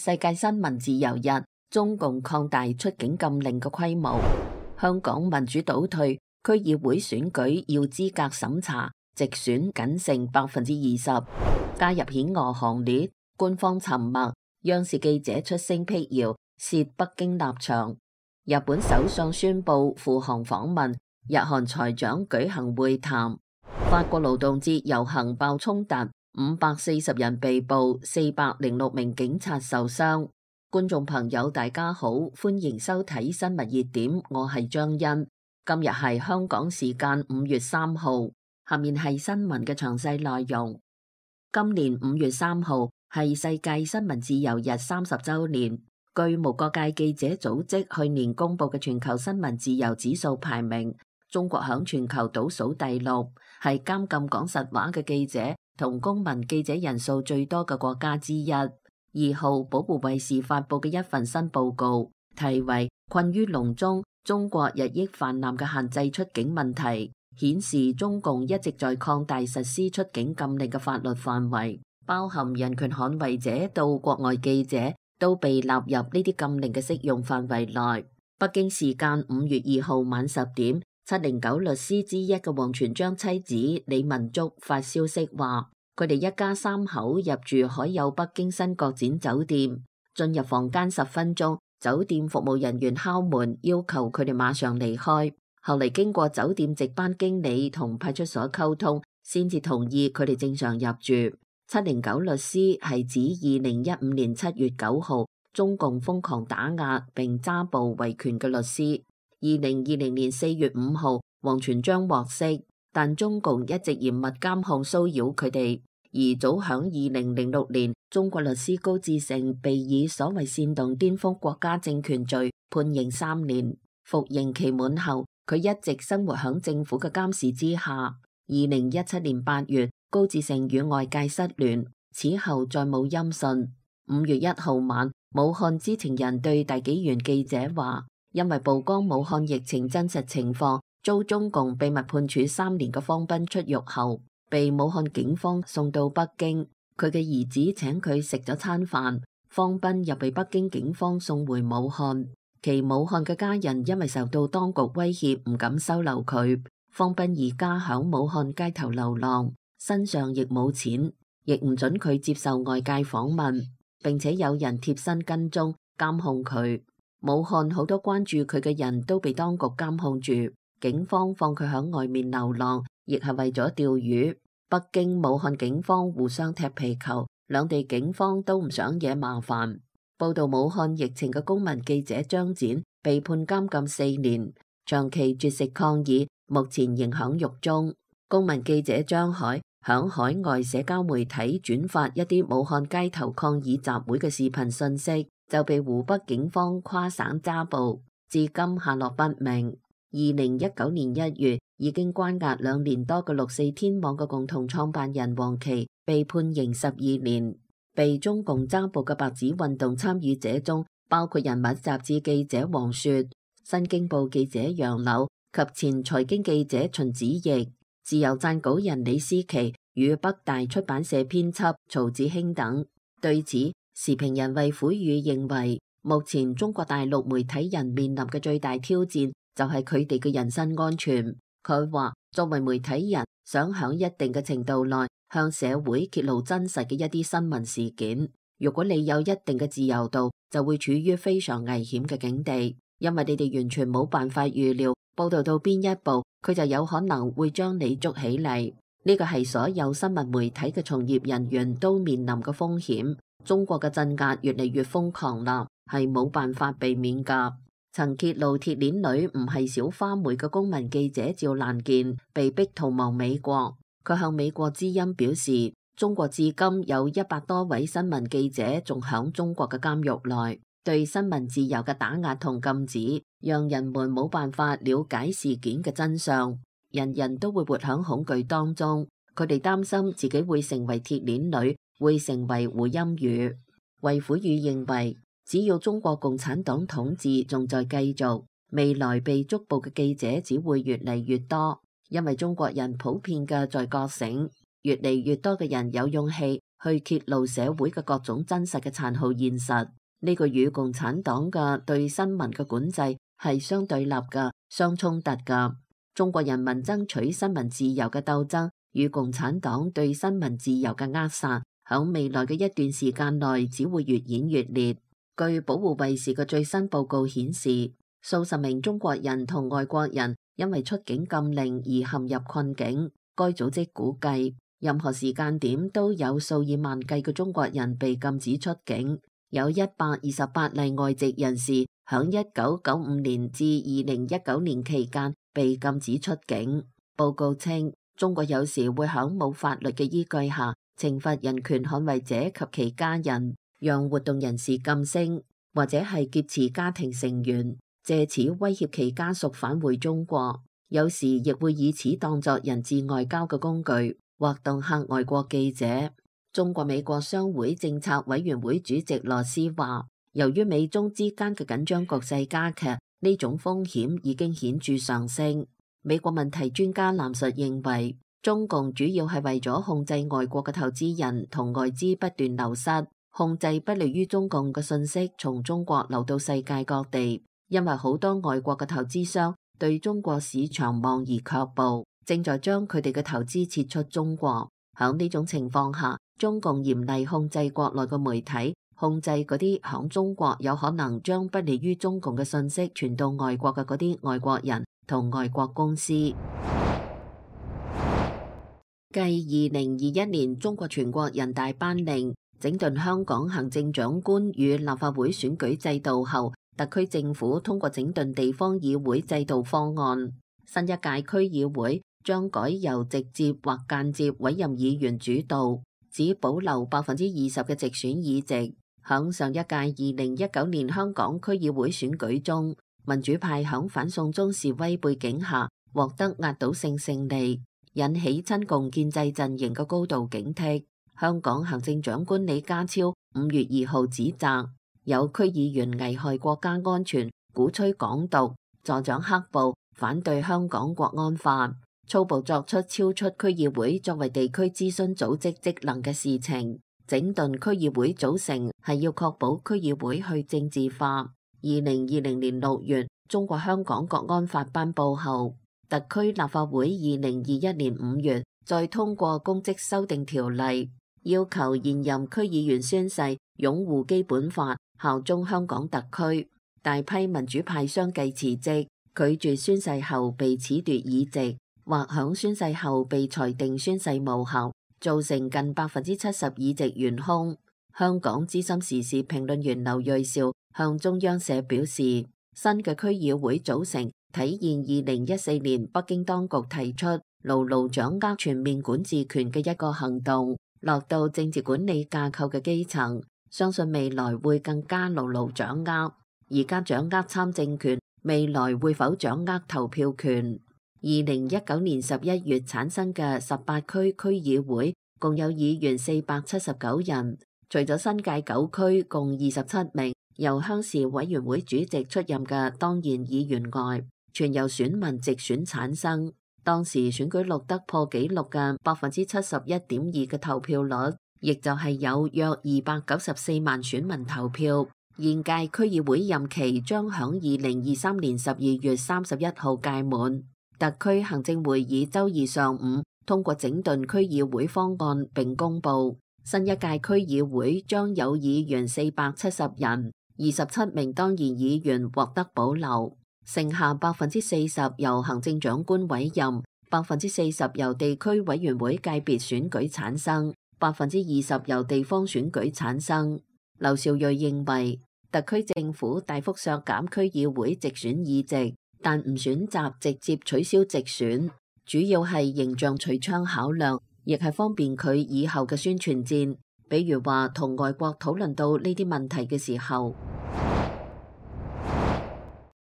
世界新聞自由日，中共擴大出境禁令嘅規模。香港民主倒退，區議會選舉要資格審查，直選僅剩20%，加入險惡行列。官方沉默，央視記者出聲闢謠，洩北京立場。日本首相宣布赴韓訪問，日韓財長舉行會談。法國勞動節遊行爆衝突，540人被捕，406名警察受傷。觀眾朋友大家好，歡迎收睇新聞熱點，我係張欣。今日係香港時間5月3號，下面係新聞嘅詳細內容。今年5月3號係世界新聞自由日30週年。據無國界記者組織去年公布嘅全球新聞自由指數排名，中國響全球倒數第6，係監禁講實話嘅記者同公民記者人數最多嘅國家之一。2號保護衛士發佈嘅一份新報告，題為《困於籠中：中國日益泛濫嘅限制出境問題》，顯示中共一直在擴大實施出境禁令嘅法律範圍，包含人權捍衛者到國外記者都被納入呢啲禁令嘅適用範圍內。北京時間5月2號晚10點，709律師之一嘅王全璋妻子李文竹發消息話，佢哋一家3口入住海友北京新國展酒店，進入房間10分鐘，酒店服務人員敲門，要求佢哋馬上離開。後嚟經過酒店值班經理同派出所溝通，先至同意佢哋正常入住。709律師係指2015年7月9號中共瘋狂打壓並揸捕維權嘅律師。2020年4月5號，王全璋獲釋，但中共一直嚴密監控騷擾佢哋。而早響2006年，中國律師高志盛被以所謂煽動顛覆國家政權罪判刑3年，服刑期滿後，佢一直生活響政府嘅監視之下。2017年8月，高志盛與外界失聯，此後再冇音訊。5月1號晚，武漢知情人對大紀元記者話，因為曝光武漢疫情真實情況，遭中共秘密判處3年嘅方斌出獄後，被武漢警方送到北京。佢嘅兒子請佢食咗餐飯，方斌又被北京警方送回武漢。其武漢嘅家人因為受到當局威脅，唔敢收留佢。方斌而家響武漢街頭流浪，身上亦冇錢，亦唔准佢接受外界訪問，並且有人貼身跟蹤監控佢。武漢好多關注佢嘅人都被當局監控住，警方放佢響外面流浪，亦係為咗釣魚。北京、武漢警方互相踢皮球，兩地警方都唔想惹麻煩。報道武漢疫情嘅公民記者張展被判監禁4年，長期絕食抗議，目前仍響獄中。公民記者張海響海外社交媒體轉發一啲武漢街頭抗議集會嘅視頻信息，就被湖北警方跨省抓捕，至今下落不明。2019年1月，已經關押2年多嘅64天網嘅共同創辦人王琦被判刑12年。被中共抓捕嘅白紙運動參與者中，包括人物雜誌記者王雪、新京報記者楊柳及前財經記者秦子奕、自由撰稿人李思琪與北大出版社編輯曹子興等。對此，時評人衛虎宇認為，目前中國大陸媒體人面臨嘅最大挑戰就係佢哋嘅人身安全。佢話，作為媒體人，想響一定嘅程度內向社會揭露真實嘅一啲新聞事件，如果你有一定嘅自由度，就會處於非常危險嘅境地，因為你哋完全冇辦法預料報道到邊一步，佢就有可能會將你捉起嚟。呢個係所有新聞媒體嘅從業人員都面臨嘅風險。中國嘅鎮壓越嚟越瘋狂啦，係冇辦法避免噶。曾揭露鐵鏈女唔係小花梅嘅公民記者趙蘭健被逼逃亡美國，佢向美國之音表示，中國至今有100多位新聞記者仲響中國嘅監獄內，對新聞自由嘅打壓同禁止，讓人們冇辦法了解事件嘅真相，人人都會活響恐懼當中，佢哋擔心自己會成為鐵鏈女，會成為胡鑫宇。衛虎宇認為，只要中國共產黨統治仲在繼續，未來被捉捕嘅記者只會越嚟越多，因為中國人普遍嘅在覺醒，越嚟越多嘅人有勇氣去揭露社會嘅各種真實嘅殘酷現實。呢個與共產黨嘅對新聞嘅管制係相對立嘅、相衝突嘅。中國人民爭取新聞自由嘅鬥爭與共產黨對新聞自由嘅扼殺，響未來嘅一段時間內只會越演越烈。據保護衛士嘅最新報告顯示，數十名中國人同外國人因為出境禁令而陷入困境。該組織估計，任何時間點都有數以萬計嘅中國人被禁止出境。有128例外籍人士響1995年至2019年期間被禁止出境。報告稱，中國有時會響冇法律嘅依據下懲罰人權捍衛者及其家人，讓活動人士噤聲，或者係劫持家庭成員，借此威脅其家屬返回中國。有時亦會以此當作人質外交嘅工具，或恫嚇外國記者。中國美國商會政策委員會主席羅斯話，由於美中之間嘅緊張局勢加劇，呢種風險已經顯著上升。美國問題專家藍述認為，中共主要係為咗控制外國嘅投資人同外資不斷流失，控制不利於中共嘅信息從中國流到世界各地。因為好多外國嘅投資商對中國市場望而卻步，正在將佢哋嘅投資撤出中國。響呢種情況下，中共嚴厲控制國內嘅媒體，控制嗰啲響中國有可能將不利於中共嘅信息傳到外國嘅嗰啲外國人同外國公司。繼2021年中國全國人大頒令整頓香港行政長官與立法會選舉制度後，特區政府通過整頓地方議會制度方案，新一屆區議會將改由直接或間接委任議員主導，只保留20%嘅直選議席。響上一屆2019年香港區議會選舉中，民主派響反送中示威背景下獲得壓倒性勝利，引起親共建制陣營嘅高度警惕。香港行政長官李家超5月2號指責有區議員危害國家安全，鼓吹港獨，助長黑暴，反對香港國安法，粗暴作出超出區議會作為地區諮詢組織職能嘅事情。整頓區議會組成係要確保區議會去政治化。2020年6月，中國香港國安法頒布後，特區立法會2021年5月再通過公職修訂條例，要求現任區議員宣誓擁護基本法，效忠香港特區。大批民主派相繼辭職，拒絕宣誓後被褫奪議席，或響宣誓後被裁定宣誓無效，造成近70%議席懸空。香港資深時事評論員劉銳紹向中央社表示，新嘅區議會組成體現2014年北京當局提出牢牢掌握全面管治權嘅一個行動，落到政治管理架構嘅基層，相信未來會更加牢牢掌握。而家掌握參政權，未來會否掌握投票權？2019年11月產生嘅18區區議會共有議員479人，除咗新界9區共27名由鄉事委員會主席出任嘅當然議員外，全由選民直選產生。當時選舉錄得破紀錄嘅71.2%嘅投票率，亦就係有約294萬選民投票。現屆區議會任期將響2023年12月31號屆滿。特區行政會議周二上午通過整頓區議會方案並公布，新一屆區議會將有議員470人，27名當然議員獲得保留，剩下40%由行政長官委任，40%由地區委員會界別選舉產生，20%由地方選舉產生。劉兆瑞認為，特區政府大幅削減區議會直選議席，但唔選擇直接取消直選，主要係形象取槍考量，亦係方便佢以後嘅宣傳戰。比如話同外國討論到呢啲問題嘅時候，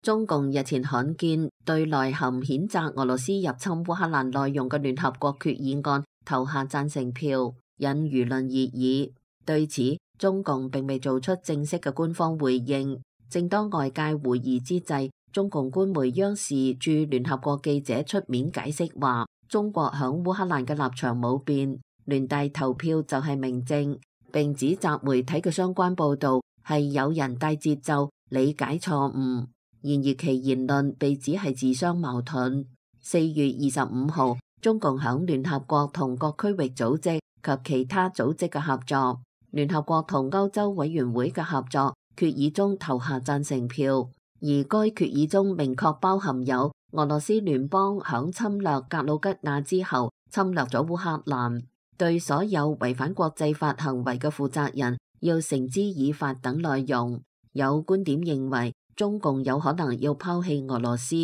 中共日前罕見對內含譴責俄羅斯入侵烏克蘭內容嘅聯合國決議案投下贊成票，引輿論熱議。對此，中共並未做出正式嘅官方回應。正當外界懷疑之際，中共官媒央視駐聯合國記者出面解釋話，中國響烏克蘭嘅立場冇變，聯大投票就係明證，並指責媒體嘅相關報導係有人帶節奏、理解錯誤。然而其言論被指係自相矛盾。4月25號，中共響聯合國同各區域組織及其他組織嘅合作，聯合國同歐洲委員會嘅合作決議中投下贊成票，而該決議中明確包含有俄羅斯聯邦響侵略格魯吉亞之後侵略咗烏克蘭，對所有違反國際法行為嘅負責人要繩之以法等內容。有觀點認為，中共有可能要拋棄俄羅斯，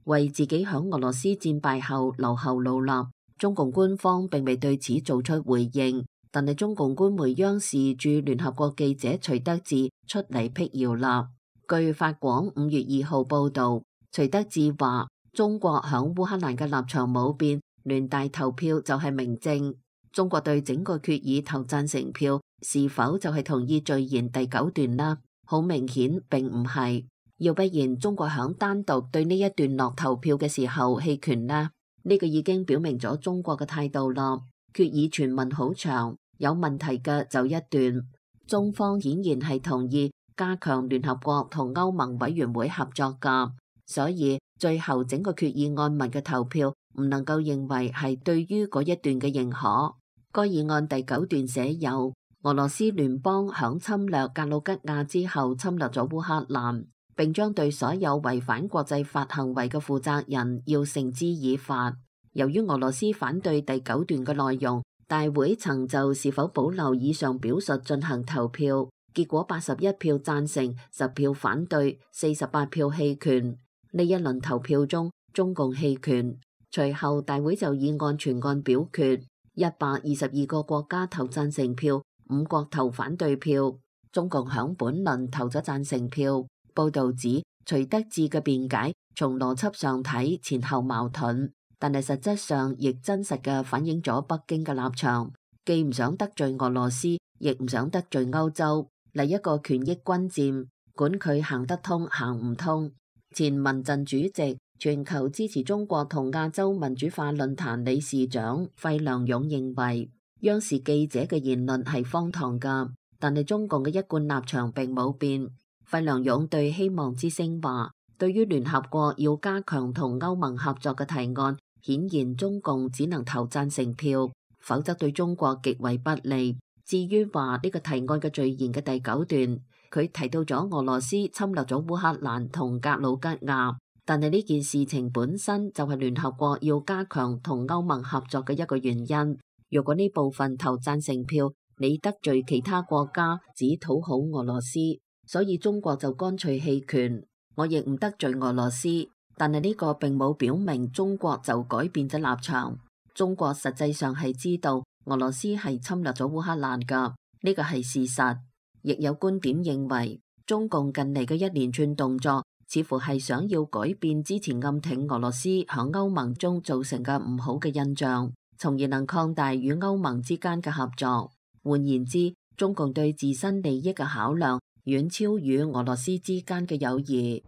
為自己響俄羅斯戰敗後留後路立。中共官方並未對此做出回應，但係中共官媒央視駐聯合國記者徐德志出嚟闢謠啦。據法廣5月2號報導，徐德志話：中國響烏克蘭嘅立場冇變，聯大投票就係明證。中國對整個決議投贊成票，是否就係同意序言第9段啦？好明顯並唔係。要不然中國響單獨對呢一段落投票嘅時候棄權呢？呢個已經表明咗中國嘅態度啦。決議全文好長，有問題嘅就一段。中方顯然係同意加強聯合國同歐盟委員會合作㗎，所以最後整個決議案文嘅投票唔能夠認為係對於嗰一段嘅認可。該議案第9段寫有俄羅斯聯邦響侵略格魯吉亞之後侵略咗烏克蘭，並將對所有違反國際法行為嘅負責人要繩之以法。由於俄羅斯反對第9段嘅內容，大會曾就是否保留以上表述進行投票，結果81票贊成，10票反對，48票棄權。呢一輪投票中，中共棄權，隨後大會就議案全案表決，122個國家投贊成票，5國投反對票，中共響本輪投咗贊成票。報導指徐德志嘅辯解從邏輯上睇前後矛盾，但係實質上亦真實嘅反映咗北京嘅立場，既唔想得罪俄羅斯，亦唔想得罪歐洲，嚟一個權益均佔，管佢行得通行唔通。前民陣主席、全球支持中國同亞洲民主化論壇理事長費良勇認為，央視記者嘅言論係荒唐㗎，但係中共嘅一貫立場並冇變。費良勇對希望之聲話，對於聯合國要加強同歐盟合作嘅提案，顯然中共只能投贊成票，否則對中國極為不利。至於話呢個提案嘅序言嘅第9段，佢提到咗俄羅斯侵略咗烏克蘭同格魯吉亞，但係呢件事情本身就係聯合國要加強同歐盟合作嘅一個原因。如果呢部分投贊成票，你得罪其他國家，只討好俄羅斯，所以中國就乾脆棄權。我亦唔得罪俄羅斯，但係呢個並冇表明中國就改變咗立場。中國實際上係知道俄羅斯係侵略咗烏克蘭㗎，呢個係事實。亦有觀點認為，中共近嚟嘅一連串動作，似乎係想要改變之前暗挺俄羅斯響歐盟中造成嘅唔好嘅印象，從而能擴大與歐盟之間嘅合作。換言之，中共對自身利益嘅考量遠超與俄羅斯之間嘅友誼。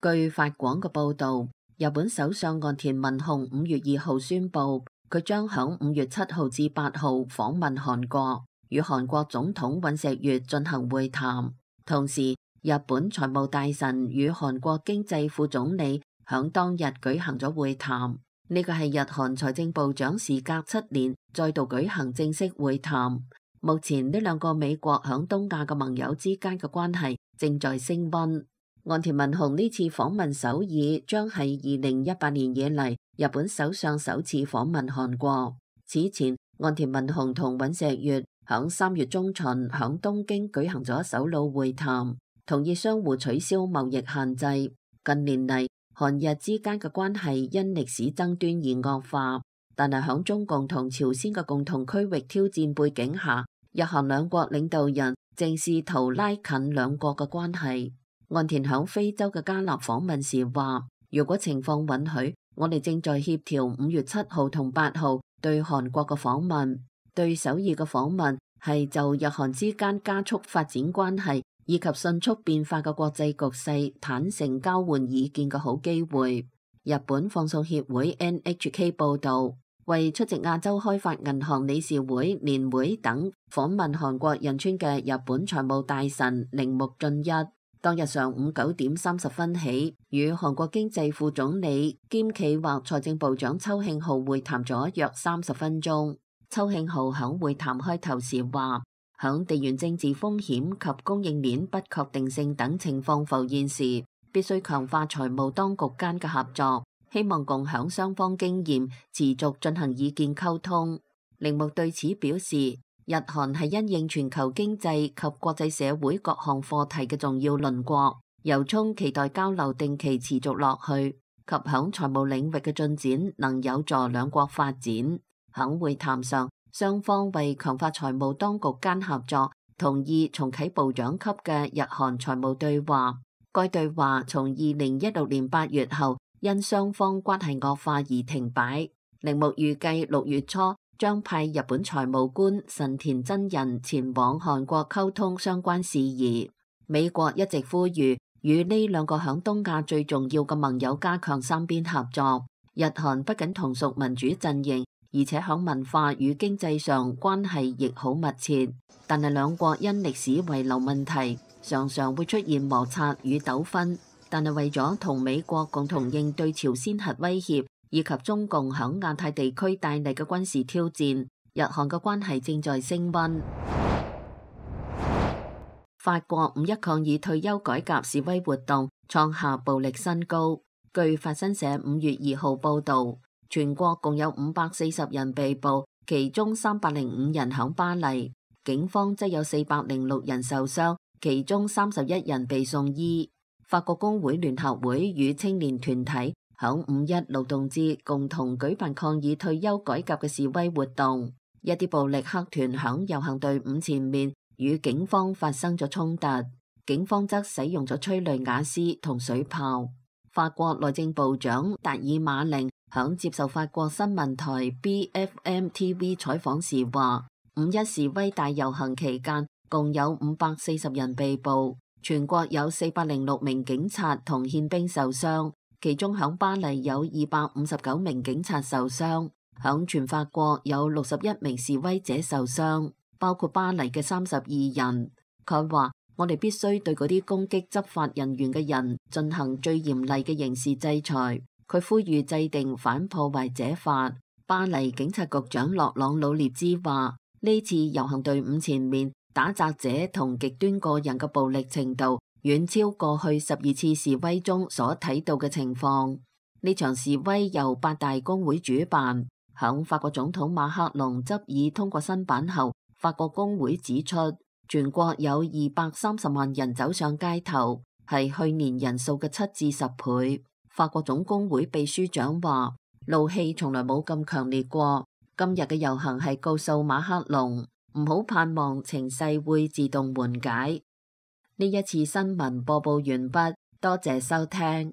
據法廣嘅報導，日本首相岸田文雄5月2號宣布，佢將響5月7號至8號訪問韓國，與韓國總統尹錫悅進行會談。同時，日本財務大臣與韓國經濟副總理響當日舉行咗會談。呢個係日韓財政部長時隔7年再度舉行正式會談。目前呢兩個美國響東亞嘅盟友之間嘅關係正在升溫。岸田文雄呢次訪問首爾，將係2018年以嚟日本首相首次訪問韓國。此前，岸田文雄同尹錫悅響3月中旬響東京舉行咗首腦會談，同意相互取消貿易限制。近年嚟，韓日之間嘅關係因歷史爭端而惡化，但係響中共同朝鮮嘅共同區域挑戰背景下，日韓兩國領導人正試圖拉近兩國嘅關係。岸田響非洲嘅加納訪問時話，如果情況允許，我哋正在協調5月7號同8號對韓國嘅訪問。對首爾嘅訪問係就日韓之間加速發展關係以及迅速變化嘅國際局勢坦誠交換意見嘅好機會。日本放送協會 NHK 報導，為出席亞洲開發銀行理事會年會等訪問韓國仁川嘅日本財務大臣鈴木俊一，當日上午9:30起，與韓國經濟副總理兼企劃財政部長秋慶浩會談咗約30分鐘。秋慶浩響會談開頭時話，響地緣政治風險及供應鏈不確定性等情況浮現時，必須強化財務當局間嘅合作，希望共享雙方經驗，持續進行意見溝通。鈴木對此表示，日韓係因應全球經濟及國際社會各項課題嘅重要鄰國，由衷期待交流定期持續落去，及響財務領域嘅進展能有助兩國發展。響會談上，雙方為強化財務當局間合作，同意重啟部長級嘅日韓財務對話。該對話從2016年8月後因雙方關係惡化而停擺。鈴木預計6月初將派日本財務官神田真人前往韓國溝通相關事宜。美國一直呼籲與呢兩個響東亞最重要嘅盟友加強三邊合作。日韓不僅同屬民主陣營，而且響文化與經濟上關係亦好密切，但係兩國因歷史遺留問題，常常會出現摩擦與糾紛。但係為咗同美國共同應對朝鮮核威脅以及中共響亞太地區帶嚟嘅軍事挑戰，日韓嘅關係正在升溫。法國5·1抗議退休改革示威活動創下暴力新高。據法新社5月2號報導，全國共有540人被捕，其中305人響巴黎，警方則有406人受傷，其中31人被送醫。法國工會聯合會與青年團體響5·1勞動節共同舉辦抗議退休改革嘅示威活動，一啲暴力黑團響遊行隊伍前面與警方發生咗衝突，警方則使用咗催淚瓦斯同水炮。法國內政部長達爾馬寧響接受法國新聞台 BFM TV 採訪時話，5·1示威大遊行期間共有540人被捕，全國有406名警察同憲兵受傷，其中響巴黎有259名警察受傷，響全法國有61名示威者受傷，包括巴黎嘅32人。佢話：我哋必須對嗰啲攻擊執法人員嘅人進行最嚴厲嘅刑事制裁。佢呼籲制定反破壞者法。巴黎警察局長洛朗魯列茲話：呢次遊行隊伍前面打砸者同極端個人嘅暴力程度遠超過去12次示威中所睇到嘅情況。呢場示威由8大工會主辦。響法國總統馬克龍執意通過新版後，法國工會指出，全國有230萬人走上街頭，係去年人數嘅7至10倍。法國總工會秘書長話：怒氣從來冇咁強烈過。今日嘅遊行係告訴馬克龍，唔好盼望情勢會自動緩解。呢一次新聞播報完畢，多謝收聽。